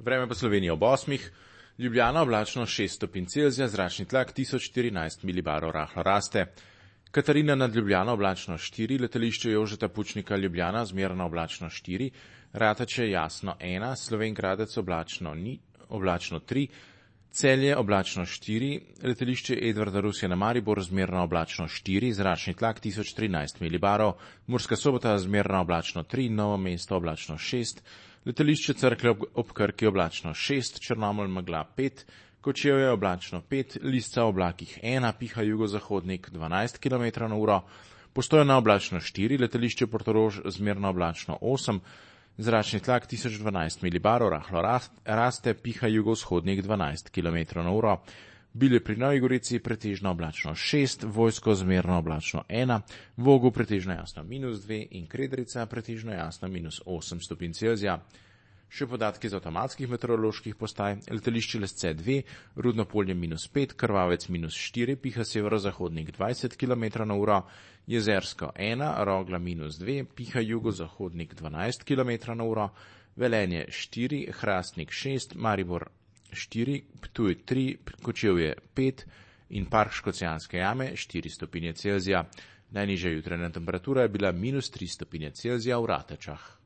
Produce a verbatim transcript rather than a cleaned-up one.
Vreme po Sloveniji ob osmih, Ljubljana oblačno šest stopinj Celzija, zračni tlak tisoč štirinajst milibarov rahlo raste. Katarina nad Ljubljano oblačno štiri, letališče Jožeta Pučnika Ljubljana zmerno oblačno štiri, Rateče jasno ena, Slovenj Gradec oblačno ni, oblačno tri, Celje oblačno štiri, letališče Edvarda Rusjana Maribor zmerno oblačno štiri, zračni tlak tisoč trinajst milibarov, Murska Sobota zmerno oblačno tri, Novo mesto oblačno šest, letališče Cerklje ob Krki oblačno šest, Črnomelj megla pet, Kočevje oblačno pet, Lisca v oblakih ena, piha jugozahodnik dvanajst kilometrov na uro, Postojna oblačno štiri, letališče Portorož zmerno oblačno osem, zračni tlak tisoč dvanajst milibarov, rahlo raste, piha jugovzhodnik dvanajst kilometrov na uro, Bilje pri Novi Gorici pretežno oblačno šest, Vojsko zmerno oblačno ena, Vogu pretežno jasno minus dve in Kredrica pretežno jasno minus osem stopinj Celzija. Še podatki z avtomatskih meteoroloških postaj, letališče Lesce dve, Rudno polje minus pet, Krvavec minus štiri, piha severozahodnik dvajset kilometrov na uro, Jezersko ena, Rogla minus dve, piha jugozahodnik dvanajst kilometrov na uro, Velenje štiri, Hrastnik šest, Maribor štiri, Ptuj tri, Kočevje pet in Park Škocjanske jame štiri stopinje Celzija. Najnižja jutranja temperatura je bila minus tri stopinje Celzija v Ratečah.